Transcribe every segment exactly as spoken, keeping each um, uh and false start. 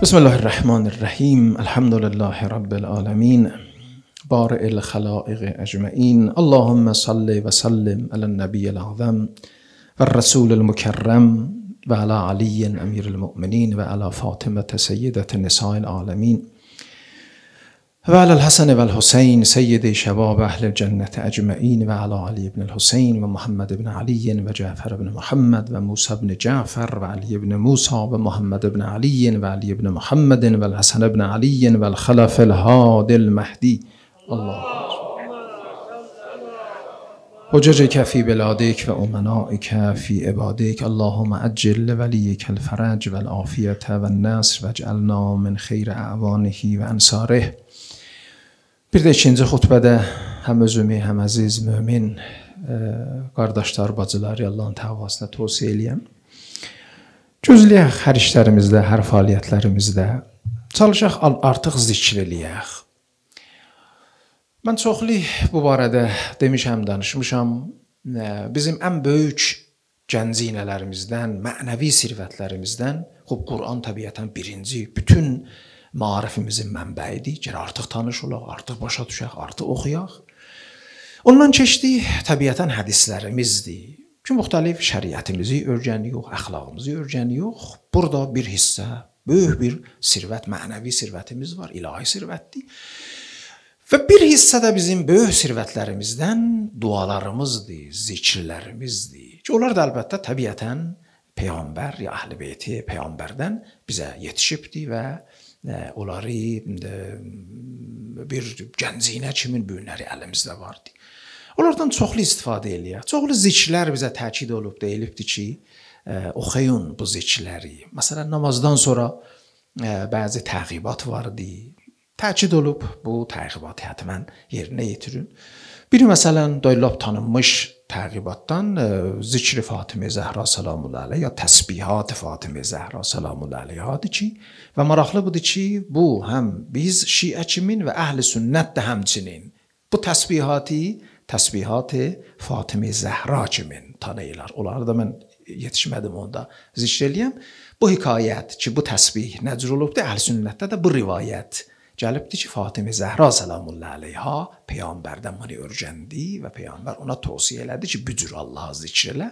بسم الله الرحمن الرحیم. الحمد لله رب العالمین بارئ الخلائق اجمعین. اللهم صل و سلم علی النبی الاعظم و الرسول المکرم و علی علی امیر المؤمنین و علی فاطمه سیدة نساء العالمین و علی الحسن و الحسین سید شباب اهل الجنة اجمعین و علی علی بن الحسین و محمد بن علی و جعفر بن محمد و موسی بن جعفر و علی بن موسی و محمد بن علی و علی بن محمد و الحسن بن علی و الخلف الهادی المهدی. الله حججک فی بلادک و امنائک فی عبادک. اللهم عجل لولیک الفرج و العافیة و النصر و اجعلنا من خیر اعوانه و انصاره. Bir də ikinci xutbədə həm özümü, həm əziz mömin qardaşlar, bacıları Allahın təvasına tövsiyə eləyəm. Gözləyək hər işlərimizdə, hər fəaliyyətlərimizdə. Çalışaq artıq zikr eləyək. Mən çoxlu bu barədə demişəm, danışmışam. Bizim ən böyük gəncinələrimizdən, mənəvi sirvətlərimizdən, xub Quran təbiətən birinci, bütün marifimizin mənbəyidir. Gəl artıq tanış olaq, artıq başa düşək, artıq oxuyaq. Ondan keçdi, təbiətən hədislərimizdir ki, müxtəlif şəriətimizi öyrənirik, əxlaqımızı öyrənirik. Burada bir hissə, böyük bir sirvət, mənəvi sirvətimiz var, ilahi sirvətdir. Və bir hissə də bizim böyük sirvətlərimizdən dualarımızdır, zikirlərimizdir. Ki, onlar da əlbəttə təbiətən Peyğəmbər ya Əhl-i Beyti Peyğəmbərdən bizə yetişibdir və onları bir gəncinə kimin büyünləri əlimizdə vardı. Onlardan çoxlu istifadə eləyək. Çoxlu zikirlər bizə təkid olub, deyilibdir ki, oxuyun bu zikirləri. Məsələn, namazdan sonra bəzi təqibat vardı. Təkid olub, bu təqibatı həttəmən yerinə yetirin. Biri məsələn, doylab tanınmış təqibatdan zikri Fatimə Zəhra salamullahi aleyha, ya təsbihat Fatimə Zəhra salamullahi aleyhadır ki, və maraqlı budur ki, bu həm biz şiə kimin və əhl-i sünnət də həmçinin bu təsbihatı, təsbihat-ı Fatimə Zəhra kimin tanıyırlar. Onları da mən yetişmədim onda zikr eləyəm. Bu hekayət ki, bu təsbih nəcr olubdur, əhl-i sünnətdə də bu rivayət gəlibdir ki, Fatimə Zəhra salamullahi aleyha Peyğəmbərdən bunu öyrəndi və Peyğəmbər ona tövsiyə elədi ki, bücür Allah'a zikr elə.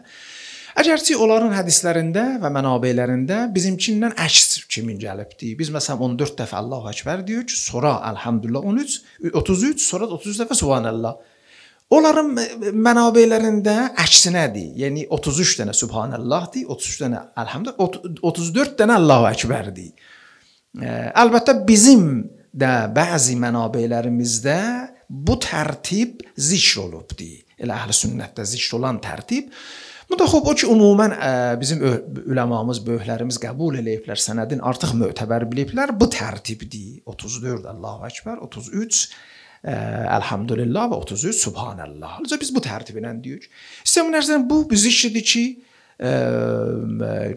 Əgərçi onların hədislərində və mənabeylərində bizimkindən əks kimin gəlibdir. Biz məsələn on dörd dəfə Allahu Əkbər deyirik, sonra Elhamdülillah on üç, otuz üç, sonra otuz üç dəfə Subhanallah. Onların mənabeylərində əksinədir. Yəni otuz üç dənə Subhanallahdır, otuz üç dənə Elhamdülillah, otuz dörd dənə Allahu Əkbərdir. Əlbəttə bizim də bəzi mənabeylərimizdə bu tərtib zikr olubdur. Elə əhl-i sünnətdə zikr olan tərtib. Bu da xub o ki, umumən bizim üləmamız, böyüklərimiz qəbul eləyiblər, sənədin artıq mötəbər biliblər. Bu tərtibdir. otuz dörd Allahu Əkbər, otuz üç Elhamdülillah və otuz üç Subhanallah. Biz bu tərtiblə deyirik. İstəyəm nərzən bu bir zikridir ki,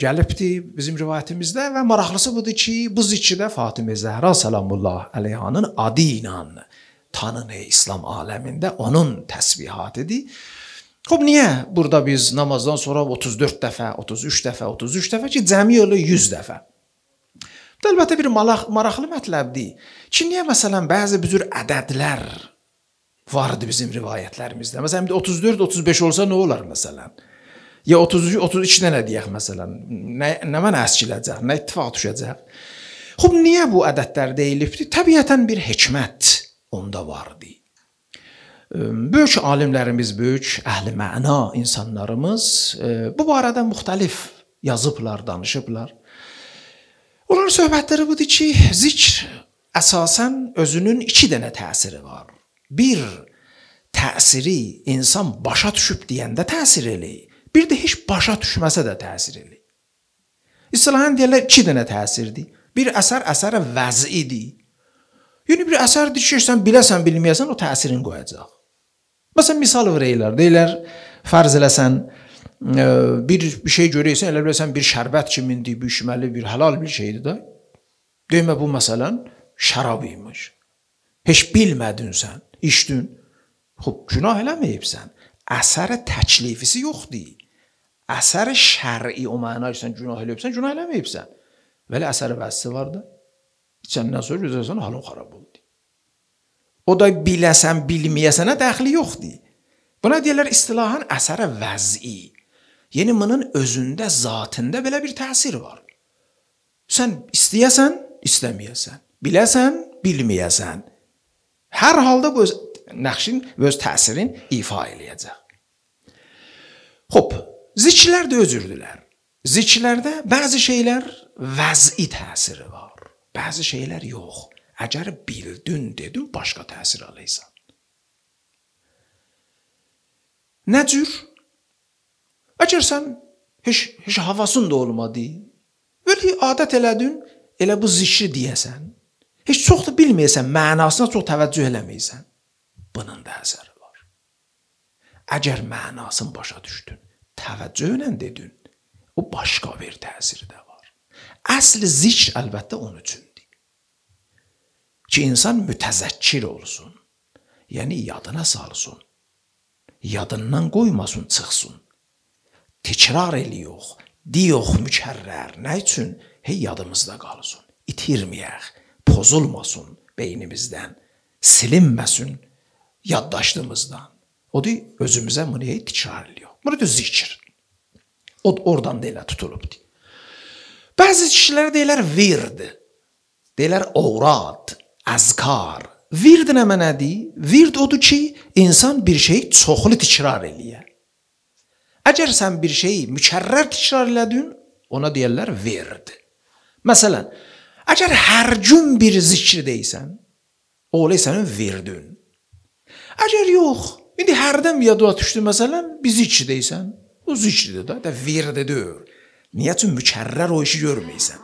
gəlibdir bizim rivayətimizdə və maraqlısı budur ki, bu zikirdə Fatimə Zəhra salamullahi aleyhanın adı ilə tanınır İslam aləmində, onun təsbihatıdır. Xub, niyə burada biz namazdan sonra otuz dörd dəfə, otuz üç dəfə, otuz üç dəfə ki, cəmi yolu yüz dəfə? Bu da əlbəttə bir maraqlı mətləbdir ki, niyə məsələn bəzi bir cür ədədlər vardır bizim rivayətlərimizdə? Məsələn, otuz dörd, otuz beş olsa nə olar məsələn? Ya otuz üç, otuz iki dənə deyək məsələn, nə, nə mənə əskiləcək, nə ittifaq düşəcək. Xub, niyə bu ədədlər deyilibdir? Təbiətən bir hikmət onda vardı. Böyük alimlərimiz, böyük əhl-i məna insanlarımız bu barədə müxtəlif yazıblar, danışıblar. Onların söhbətləri budur ki, zikr əsasən özünün iki dənə təsiri var. Bir, təsiri insan başa düşüb deyəndə təsir eləyir. Bir də heç başa düşməsə də təsir eləyir. İstilahən deyərlər iki dənə təsirdir. Bir əsər əsərə vəzidir. Yəni bir əsərdir ki, sən biləsən, bilməyəsən, o təsirini qoyacaq. Məsələn, misal verəylər. Deyirlər, fərz eləsən, bir, bir şey görəysən, elə biləsən, bir şərbət kimindir, bir içməli, bir halal bir şeydir da. Demə bu məsələn, şərab imiş. Heç bilmədin sən, içdin. Xub, günah eləməyibsən. Əsərə təklifisi yoxdur. Əsər şər'i o mənaysan günah eləyibsən, günah eləməyibsən. Vəli əsər vəzisi var da. İçəndən sonra gözəlsən halın xarab oldu. O da biləsən, bilməyəsənə dəxli yoxdur. Buna deyirlər istilahan əsərə vəz'i. Yəni bunun özündə, zatında belə bir təsir var. Sən istəyəsən, istəməyəsən, biləsən, bilməyəsən. Hər halda bu öz nəqşin və öz təsirin ifa eləyəcək. Xoş, zikirlər də özürdülər. Zikirlərdə bəzi şeylər vəz'i təsiri var. Bəzi şeylər yox. Əgər bildin, dedin, başqa təsir alırsan. Nə cür? Əgər sən heç, heç havasın da olmadı, böyle adət elədin, elə bu zikri deyəsən, heç çox da bilməyəsən, mənasına çox təvəccüh eləməyəsən, bunun da əsəri var. Əgər mənasını başa düşdün, təvəccühlə dedin, o başqa bir təsiri də var. Əsl zikr əlbəttə onun üçündür. Ki insan mütəzəkkir olsun, yəni yadına salsın, yadından qoymasın, çıxsın. Tekrar eliyox, diyox mükərrər. Nə üçün? Hey yadımızda qalsın, itirməyək, pozulmasın beynimizdən, silinməsin yaddaşdığımızdan. O da özümüzə bunu hey tekrar eliyox. Bunu da zikir. O oradan da elə tutulubdur. Bəzi kişilərə deyilər vird, deyilər ovrad, əzkar. Vird nə mənədir? Vird odur ki, insan bir şeyi çoxlu tekrar eləyər. Əgər sən bir şeyi mükərrər tekrar elədin, ona deyirlər vird. Məsələn, əgər hər gün bir zikr deysən, o olay sənin virdin. Əgər yox, indi hərdən yadına düşdü, məsələn, bir zikr deysən, o zikridir da, da virdidir. Niyə üçün mükərrər o işi görməysən?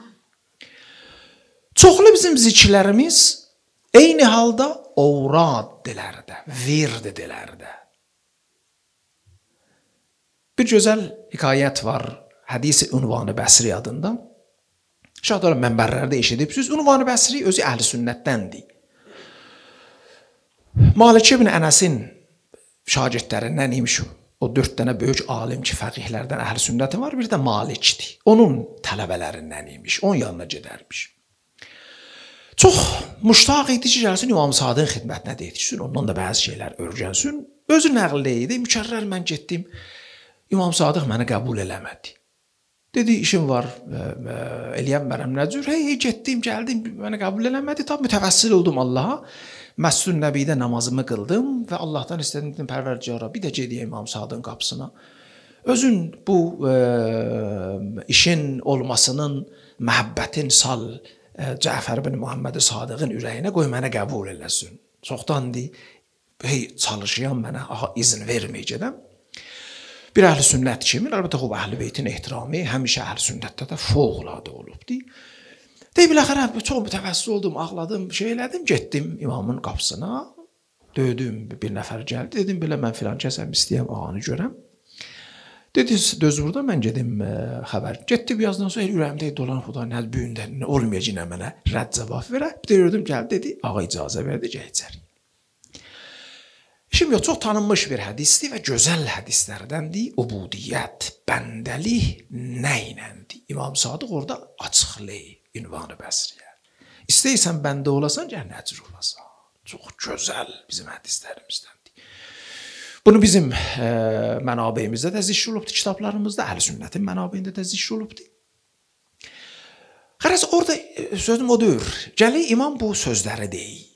Çoxlu bizim zikirlərimiz eyni halda ovrad dilərdə, vird dilərdə. Bir gözəl hikayət var, Hədis-i Ünvan-ı Bəsri adında. Şahlar mənbərlərdə eşidibsiniz. Ünvan-ı Bəsri özü əhl-i sünnətdəndir. Malik ibn Ənəsin şagirdlərindən imiş o. O dörd dənə böyük alim ki, fəqihlərdən əhl-i sünnəti var, bir də Malikdir. Onun tələbələrindən imiş, onun yanına gedərmiş. Çox müştaq idi ki, gəlsin İmam Sadığın xidmətinə də yetişsin, ondan da bəzi şeylər öyrənsin. Özü nəql idi, mükərrər mən getdim. İmam Sadıq məni qəbul eləmədi. Dedi, işim var, eləyəm mənəm nə cür? Hey, hey, getdim, gəldim, məni qəbul eləmədi. Tabi mütəvəssil oldum Allaha. Məscid-i Nəbidə namazımı qıldım və Allahdan istədim, Pərverdigara, bir də gediyəm İmam Sadığın qapısına. Özün bu e, işin olmasının, məhəbbətin sal e, Cəfər ibn Muhammed Sadığın ürəyinə qoy mənə qəbul eləsin. Çoxdandır, hey, çalışıyam mənə, aha, izin verməyəcəm. Bir əhl-i sünnət kimi, əlbəttə xub əhl-i beytin ehtiramı həmişə əhl-i sünnətdə də fövqəladə olubdur. Deyib, biləxərə, çox mütəvəssil oldum, ağladım, şey elədim, getdim imamın qapısına, döydüm, bir nəfər gəldi, dedim, belə mən filan kəsəm, istəyəm, ağanı görəm. Dedi, döz burada, mən gedim ə, xəbər. Getdim, yazdan sonra, el ürəyimdə dolan xuda, nə büyündə, olmayacaq mənə rədd cavab verə. Bir də gördüm, gəldi, dedi, ağa icazə verdi, gələcək. Şimdi çox tanınmış bir hədisdir və gözəl hədislərdəndir. Ubudiyyət, bəndəlik nə iləndir? İmam Sadıq orada açıqlayır Ünvan-ı Bəsriyə. İstəyirsən bəndə olasan, gəl nəcür olasan. Çox gözəl bizim hədislərimizdəndir. Bunu bizim e, mənabeyimizdə də zikr olubdur, kitablarımızda, Əhl-i Sünnətin mənabeyində də zikr olubdur. Xərəz, orada sözüm odur. Gəlir imam bu sözləri deyir.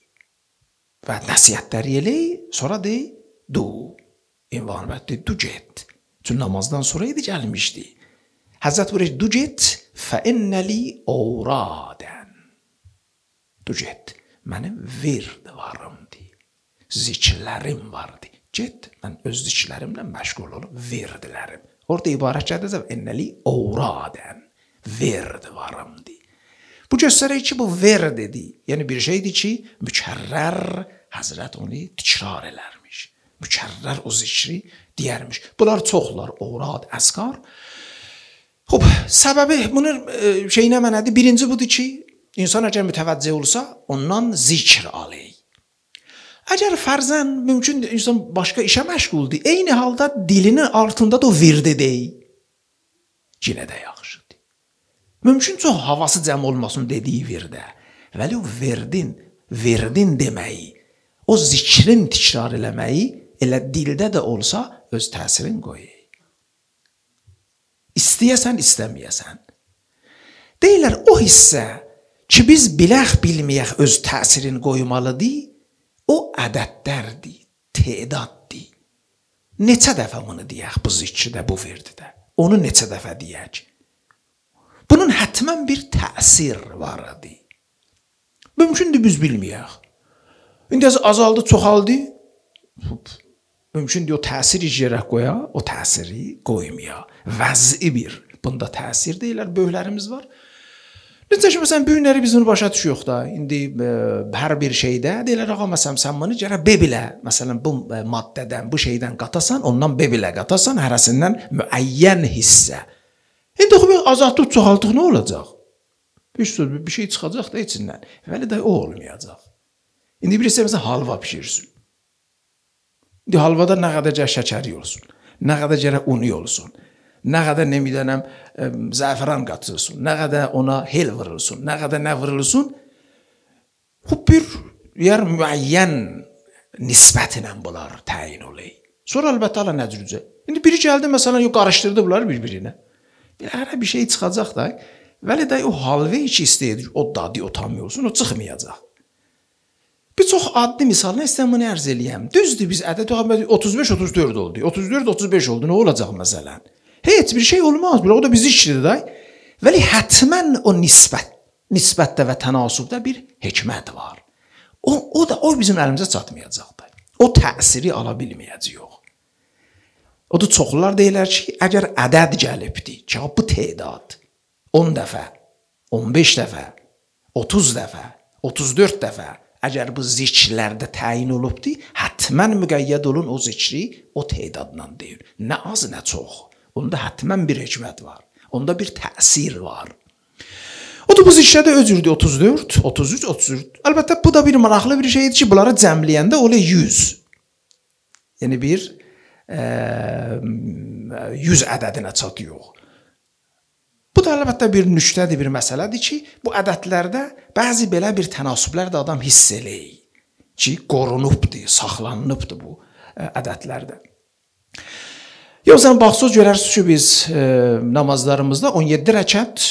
Və nəsiyyətləri eləyir, sonra deyir, du, ünvan bətti, du get. Çünki namazdan sonra idi gəlmişdi. Həzrət buyurur, du get, fə innəli ovradən. Du get, mənim vird varımdı, zikirlərim vardı. Get, mən öz zikirlərimlə məşğul olum, virdlərim. Orada ibarət gələcək, innəli ovradən, vird varımdı. Bu göstərir ki, bu verdidir. Yəni bir şeydir ki, mükərrər Həzrət onu tikrar elərmiş. Mükərrər o zikri deyərmiş. Bunlar çoxlar, ovrad, əskar. Xoş, səbəbi bunun e, şeyinə mənədir. Birinci budur ki, insan əgər mütəvəccih olsa, ondan zikr alır. Əgər fərzən mümkün insan başqa işə məşğuldur, eyni halda dilinin altında da o virdi deyil. Yenə də yaxşıdır. Mümkün çox havası cəm olmasın dediyi virdə Vəli o verdin, verdin deməyi, o zikrin təkrar eləməyi elə dildə də olsa öz təsirin qoyur. İstəyəsən, istəməyəsən. Deyirlər o hissə ki biz bilək bilməyək öz təsirin qoymalıdır, o ədədlərdir, tedaddır. Neçə dəfə bunu deyək bu zikridə, bu verdidə? Onu neçə dəfə deyək? Bunun hətmən bir təsir var idi. Mümkündür biz bilməyək. İndi azaldı, çoxaldı. Mümkündür o təsir icrə qoya, o təsiri qoymaya. Vəzi bir. Bunda təsir deyirlər, böyüklərimiz var. Necə ki, məsələn, böyükləri biz bunu başa düşüyoruz da. İndi e, hər bir şeydə deyirlər, ağa, məsələn, sən bunu gərək B bilə, məsələn, bu e, maddədən, bu şeydən qatasan, ondan B bilə qatasan, hərəsindən müəyyən hissə. İndi o, azaltıq, çoxaltıq nə olacaq? Bir, bir şey çıxacaq da içindən. Vəli də o olmayacaq. İndi birisi məsələn, halva pişirsin. İndi halvada nə qədər şəkəri olsun, nə qədər gərək unu olsun, nə qədər nə bilənəm zəfəran qatılsın, nə qədər ona hel vurulsun, nə qədər nə vurulsun, bu bir yer müəyyən nisbət ilə bunlar təyin olay. Sonra əlbəttə ala nəcrücə. İndi biri gəldi məsələn, yo qarışdırdı bunları bir-birinə. Hər bir şey çıxacaq da, vəli də o halva ki istəyir, o dadı, o tam olsun, o çıxmayacaq. Bir çox adlı misalını istəyəm bunu ərz eləyəm. Düzdür, biz ədəd otuz beş otuz dörd oldu. otuz dörd otuz beş oldu. Nə olacaq məsələn? Heç bir şey olmaz. O da bizi işlidir da. Vəli hətmən o nisbət, nisbətdə və tənasubda bir hikmət var. O, o da o bizim əlimizə çatmayacaq da. O təsiri ala bilməyəcəyik. O da çoxlar deyirlər ki, əgər ədəd gəlibdir, ki, bu tedad on dəfə, on beş dəfə, otuz dəfə, otuz dörd dəfə əgər bu zikirlərdə təyin olubdur, hətmən müqəyyəd olun o zikri o tedadla deyir. Nə az, nə çox. Onda hətmən bir hikmət var. Onda bir təsir var. O da bu zikirdə özürdür otuz dörd, otuz üç, otuz dörd. Əlbəttə bu da bir maraqlı bir şeydir ki, bunları cəmləyəndə olur yüz. Yəni bir e, yüz ədədinə çatıyor. Bu da əlbəttə bir nüktədir, bir məsələdir ki, bu ədədlərdə bəzi belə bir tənasüblər də adam hiss eləyir ki, qorunubdur, saxlanılıbdır bu ədədlərdə. Yoxsa baxsız görərsiniz ki, biz e, namazlarımızda on yeddi rəkət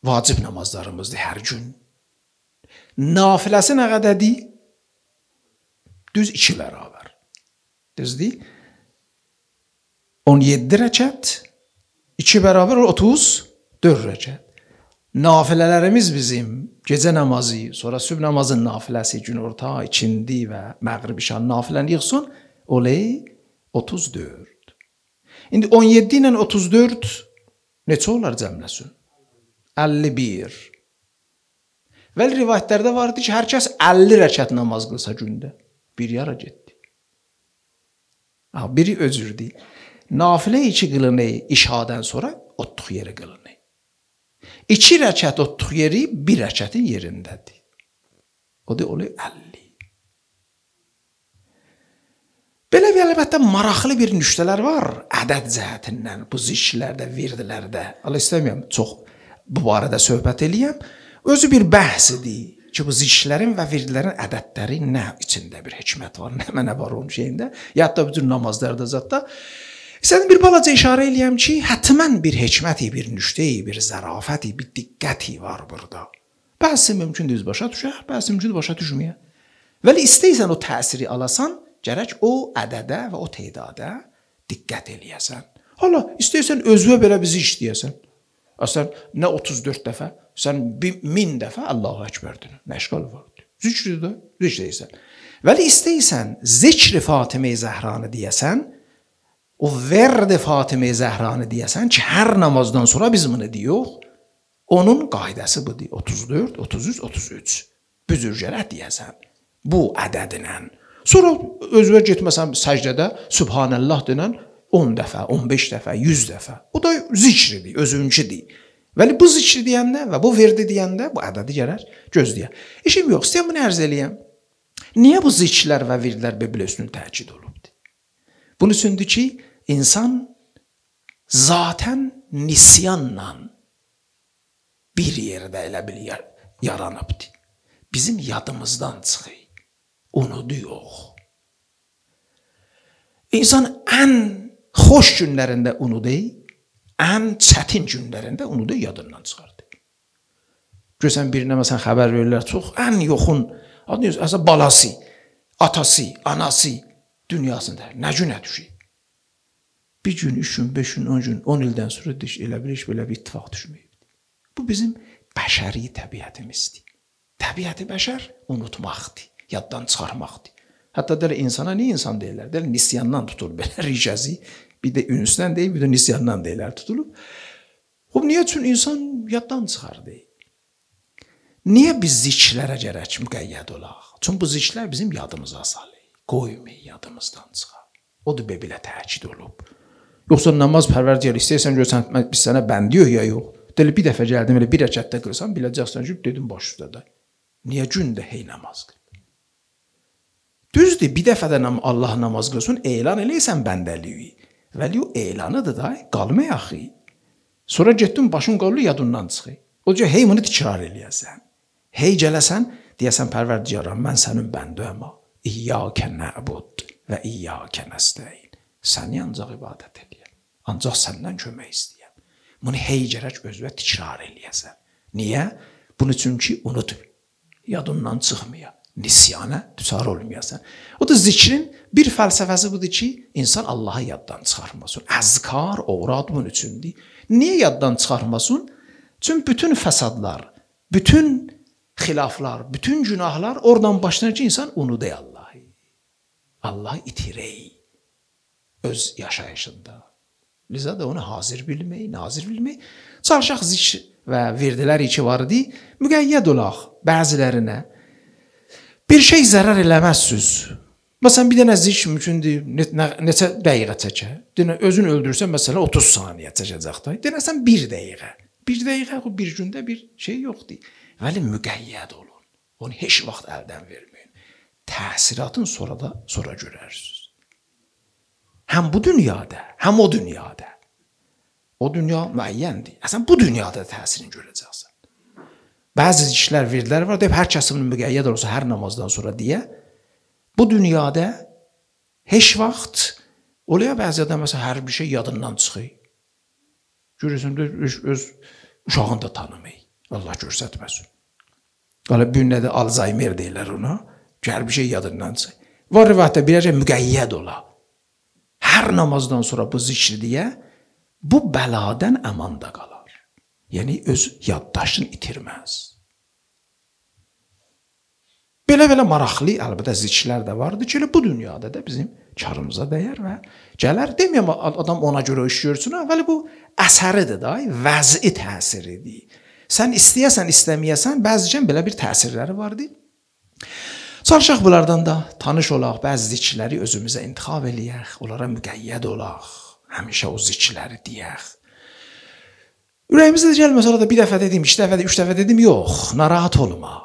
vacib namazlarımızdır hər gün. Nafiləsi nə qədərdir? Düz iki bərabər. Düzdür? on yeddi rəkət iki bərabər otuz dörd rəkət. Nafilələrimiz bizim gecə namazı, sonra sübh namazın nafiləsi, günorta, ikindi və məğrib şam nafiləni yığsın, olay otuz dörd. İndi on yeddi ilə otuz dörd neçə olar cəmləsin? əlli bir. Vəli rivayətlərdə vardı ki, hər kəs əlli rəkət namaz qılsa gündə. Bir yara getdi. Biri özürdür. Nafilə iki qılını işadən sonra otluq yeri qılını. İki rəkət otluq yeri bir rəkətin yerindədir. O da oluyor əlli. Belə bir əlbəttə maraqlı bir nüktələr var ədəd cəhətindən bu zikirlərdə, virdilərdə. Allah istəmirəm çox bu barədə söhbət eləyəm. Özü bir bəhsidir ki, bu zikirlərin və virdilərin ədədləri nə içində bir hikmət var, nə mənə var onun şeyində. Ya da bütün namazlarda zətdə. İstədim bir balaca işarə eləyəm ki, hətmən bir hikməti, bir nüktəyi, bir zərafəti, bir diqqəti var burada. Bəzi mümkündür başa düşək, bəzi mümkündür başa düşməyə. Vəli istəyirsən o təsiri alasan, gərək o ədədə və o tedada diqqət eləyəsən. Hala, istəyirsən özünə belə bizi işləyəsən. Sən nə otuz dörd dəfə, sən min dəfə Allahu Əkbərdir. Nə işqal var? Zikridir də, zikr deyirsən. Vəli istəyirsən zikri Fatimə-i Zəhranı deyəsən, o verdi Fatimə-i Zəhranı deyəsən ki, hər namazdan sonra biz bunu deyirik, onun qaydası budur. otuz dörd, otuz üç, otuz üç. Büzürgərə deyəsən. Bu ədədinlə. Sonra özünə getməsən səcdədə Subhanəllah denən on dəfə, on beş dəfə, yüz dəfə. O da zikridir, özünküdür. Vəli bu zikri deyəndə və bu verdi deyəndə bu ədədi gələr gözləyər. İşim yox, istəyəm bunu ərz eləyəm. Niyə bu zikrlər və virdlər belə üstün təkid olubdur? Bunun üçündür ki, insan zatən nisyanla bir yerdə elə bil yaranıbdır. bizim yadımızdan çıxır. Unudu yox. İnsan ən xoş günlərində unudur, ən çətin günlərində unudur, yadından çıxardı. Görsən birinə məsələn xəbər verirlər, çox ən yoxun, aslında balası, atası, anası dünyasında nə günə düşür? Bir gün, üç gün, beş gün, on gün, on ildən sonra elə bir iş belə bir ittifaq düşməyibdir. Bu bizim bəşəri təbiətimizdir. Təbiəti bəşər unutmaqdır, yaddan çıxarmaqdır. Hətta deyir, insana niyə insan deyirlər? Deyir, nisyandan tutulur belə ricəzi. Bir də ünüsdən deyil, bir də nisyandan deyirlər tutulub. O, niyə? Çünki insan yaddan çıxardı. Niyə biz zikirlərə gərək müqəyyəd olaq? Çünki bu zikirlər bizim yadımıza salır. Qoymayın, yadımızdan çıxar. O da belə təkid olub. Yoxsa namaz pərverdigar istəyirsən görsən, biz sənə bəndiyik ya yox. Deyil, bir dəfə gəldim, elə bir rəkətdə qılsan, biləcəksən ki, dedim baş üstədə. Niyə gündə hey namaz qıl? Düzdür, bir dəfə də Allah namaz qılsın, elan eləysən bəndəliyi. Vəli o elanıdır da, qalmay axı. Sonra getdin, başın qalır, yadından çıxır. O cə, hey bunu tikrar eləyəsən. Hey gələsən, deyəsən pərverdigaram, mən sənin bəndiyəm. İyyəkə nəbud və iyyəkə nəstəyin. Səni ancaq ibadət eləyəm. Ancaq səndən kömək istəyəm. Bunu hey gərək özünə tikrar eləyəsən. Niyə? Bunu çünki unut. Yadından çıxmaya. Nisyana düçar olmayasan. O da zikrin bir fəlsəfəsi budur ki, insan Allahı yaddan çıxarmasın. Əzkar, oğrad bunun üçündür. Niyə yaddan çıxarmasın? Çünki bütün fəsadlar, bütün xilaflar, bütün günahlar oradan başlanır ki, insan unudur Allahı. Allahı itirey. Öz yaşayışında. Liza da onu hazır bilmək, nazir bilmək. Çalışaq zikr və verdilər ki var idi, müqəyyəd olaq bəzilərinə. Bir şey zərər eləməzsiniz. Məsələn, bir dənə zikr mümkündür, neçə dəqiqə çəkər. Özün öldürsən, məsələn, otuz saniyə çəkəcək da. Denəsən, bir dəqiqə. Bir dəqiqə, bir gündə bir şey yoxdur. Vəli müqəyyəd olun. Onu heç vaxt əldən verməyin. Təsiratın sonra da sonra görərsiniz. Həm bu dünyada, həm o dünyada. O dünya müəyyəndir. Əsən bu dünyada təsirini görəcəksən. Bəzi zikirlər, verdilər var, deyib, hər kəsin müqəyyəd olsa, hər namazdan sonra deyə, bu dünyada heç vaxt oluyor bəzi adam, məsələn, hər bir şey yadından çıxır. Görürsən, öz uşağını da tanımayı. Allah görsətməsin. Qala bir nədə Alzheimer deyirlər ona, ki, hər bir şey yadından çıxır. Var rivayətdə birəcə müqəyyəd ola. Hər namazdan sonra bu zikri deyə, bu bəladən əmanda qalar. Yəni, öz yaddaşını itirməz. Belə-belə maraqlı, əlbəttə zikirlər də vardır ki, bu dünyada da bizim karımıza dəyər və gələr. Deməyəm, adam ona görə iş görsün, vəli bu əsəridir da, vəzi təsiridir. Sən istəyəsən, istəməyəsən, bəzicən belə bir təsirləri vardır. Çalışaq bunlardan da tanış olaq, bəzi zikirləri özümüzə intixab eləyək, onlara müqəyyəd olaq, həmişə o zikirləri deyək. Ürəyimizdə gəlməsə, orada bir dəfə dedim, iki dəfə, üç dəfə dedim, yox, narahat olma,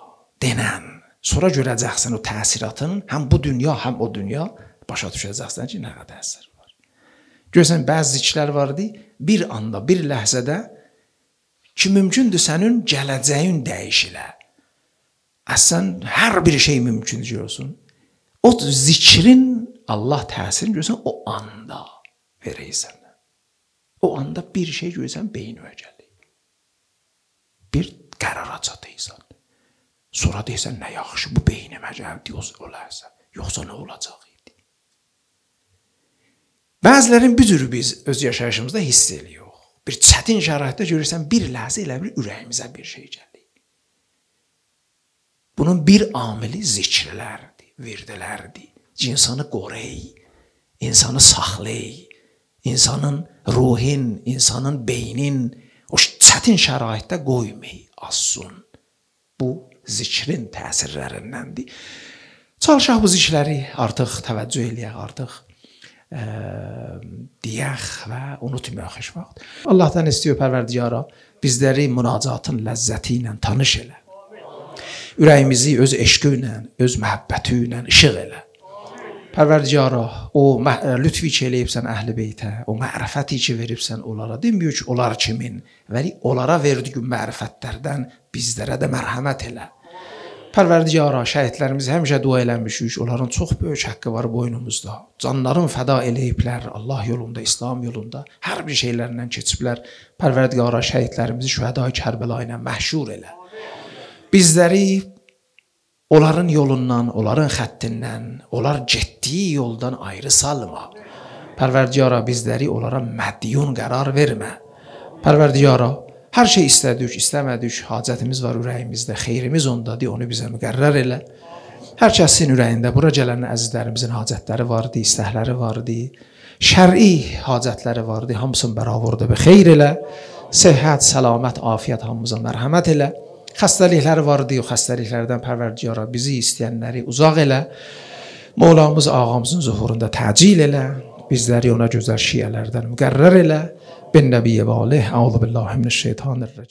denən. Sonra görəcəksən o təsiratın, həm bu dünya, həm o dünya başa düşəcəksən ki, nə qədər əsər var. Görürsən, bəzi zikirlər vardı, bir anda, bir ləhzədə ki, mümkündür sənin gələcəyin dəyişilə. Əsən hər bir şey mümkün görürsən. O zikrin Allah təsirini görürsən, o anda verəysən. O anda bir şey görürsən, beyninə gəlir. Bir qərara çatıysan. Sonra deyirsən, nə yaxşı, bu beynimə gəldi, olarsa, yoxsa nə olacaq idi? Bəzilərin bir cürü biz öz yaşayışımızda hiss edirik. Bir çətin şəraitdə görürsən, bir ləhzə elə bir ürəyimizə bir şey gəlir. Bunun bir amili zikirlərdir, verdilərdir. İnsanı qorey, insanı saxlay, insanın ruhin, insanın beynin o çətin şəraitdə qoymay, assun. Bu zikrin təsirlərindəndir. Çalışaq bu zikirləri artıq təvəccüh eləyək, artıq ə, deyək və unutmayaq heç vaxt. Allahdan istəyə pərverdigara bizləri münacatın ləzzəti ilə tanış elə. Ürəyimizi öz eşqi ilə, öz məhəbbəti ilə işıq elə. Pərverdigara, o lütfi ki eləyibsən əhl-i beytə, o mərifəti ki veribsən onlara, demiyor ki, onlar kimin, vəli onlara verdiyi mərifətlərdən bizlərə də mərhəmət elə. Pərverdigara, şəhidlərimiz həmişə dua eləmişik. Onların çox böyük haqqı var boynumuzda. Canlarını fəda eləyiblər Allah yolunda, İslam yolunda. Hər bir şeylərlə keçiblər. Pərverdigara, şəhidlərimizi şühədai Kərbəla ilə məhşur elə. Bizləri onların yolundan, onların xəttindən, onlar getdiyi yoldan ayrı salma. Pərverdigara, bizləri onlara mədyun qərar vermə. Pərverdigara, hər şey istədik, istəmədik, hacətimiz var ürəyimizdə, xeyrimiz ondadır, onu bizə müqərrər elə. Hər kəsin ürəyində bura gələn əzizlərimizin hacətləri vardı, istəkləri vardı, şər'i hacətləri vardı, hamısını bəravorda və xeyr elə. Səhhət, səlamət, afiyyət hamımıza mərhəmət elə. Xəstəlikləri vardı, o xəstəliklərdən Pərverdigara bizi istəyənləri uzaq elə. Mevlamız ağamızın zuhurunda təcil elə. Bizləri ona gözəl şiyələrdən müqərrər elə. Ben Nəbiyyə və aleyh, əuzu billahi minəşşeytanirracim.